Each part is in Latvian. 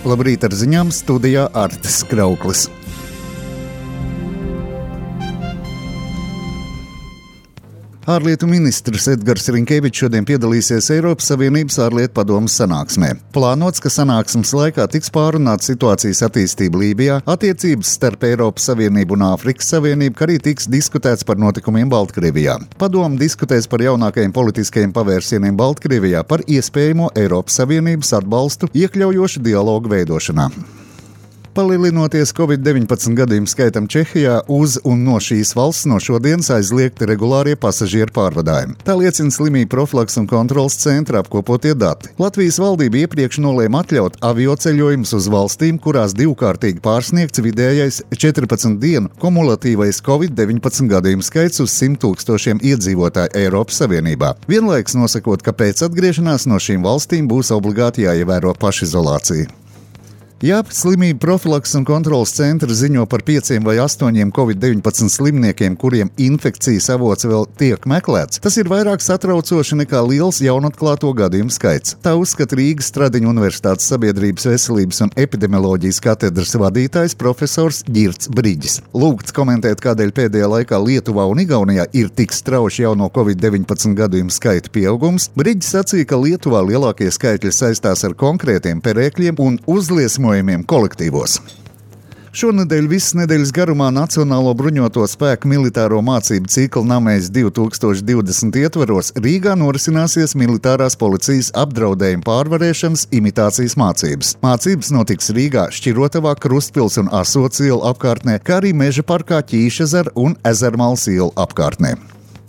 Labrīt ar ziņām, studijā Artis Krauklis. Ārlietu ministrs Edgars Rinkevičs šodien piedalīsies Eiropas Savienības ārlietu padomes sanāksmē. Plānots, ka sanāksmes laikā tiks pārunāta situācijas attīstība Lībijā, attiecības starp Eiropas Savienību un Āfrikas Savienību, kā arī tiks diskutēts par notikumiem Baltkrievijā. Padome diskutēs par jaunākajiem politiskajiem pavērsieniem Baltkrievijā, par iespējamo Eiropas Savienības atbalstu iekļaujošu dialogu veidošanā. Palielinoties Covid-19 gadījumu skaitam Čehijā, uz un no šīs valsts no šodienas aizliegti regulārie pasažieru pārvadājumi. Tā liecina Slimību profilakses un kontroles centra apkopotie dati. Latvijas valdība iepriekš nolēma atļaut avioceļojumus uz valstīm, kurās divkārtīgi pārsniegts vidējais 14 dienu kumulatīvais Covid-19 gadījumu skaits uz 100 000 iedzīvotāju Eiropas Savienībā. Vienlaikus nosakot, ka pēc atgriešanās no šīm valstīm būs obligāti jāievēro pašizolācija. Slimību profilakses un kontroles centra ziņo par 5 vai 8 Covid-19 slimniekiem, kuriem infekcijas avots vēl tiek meklēts. Tas ir vairāk satraucoši nekā liels jaunatklāto gadījumu skaits. Tā uzskata Rīgas Stradiņu Universitātes sabiedrības veselības un epidemioloģijas katedras vadītājs profesors Ģirts Briģis. Lūgts komentēt, kādēļ pēdējā laikā Lietuvā un Igaunijā ir tik strauši jauno Covid-19 gadījumu skaita pieaugums. Briģis sacīja, ka Lietuvā lielākie skaitļi saistās ar konkrētiem perēkļiem un uzliesmojumiem kolektīvos. Šonedēļ visas nedēļas garumā Nacionālo bruņoto spēku militāro mācību cikla Namēs 2020 ietvaros Rīgā norisināsies militārās policijas apdraudējuma pārvarēšanas imitācijas mācības. Mācības notiks Rīgā, Šķirotavā, Krustpils un Asots ielu apkārtnē, kā arī Meža parkā Ķīšezera un Ezermales ielu apkārtnē.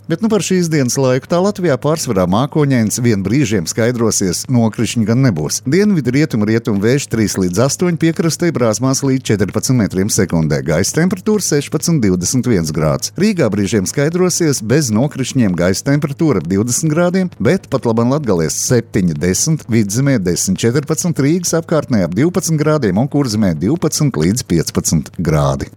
Bet par šīs dienas laiku tā Latvijā pārsvarā mākoņains, vien brīžiem skaidrosies, nokrišņi gan nebūs. Dienvidu rietumu vējš 3 līdz 8, piekrastē brāzmās līdz 14 metriem sekundē, gaisa temperatūra 16–21 grāds. Rīgā brīžiem skaidrosies, bez nokrišņiem gaisa temperatūra 20 grādiem, bet pat laban Latgalēs 7–10, Vidzemē 10–14, Rīgas apkārtnē ap 12 grādiem un Kurzemē 12 līdz 15 grādi.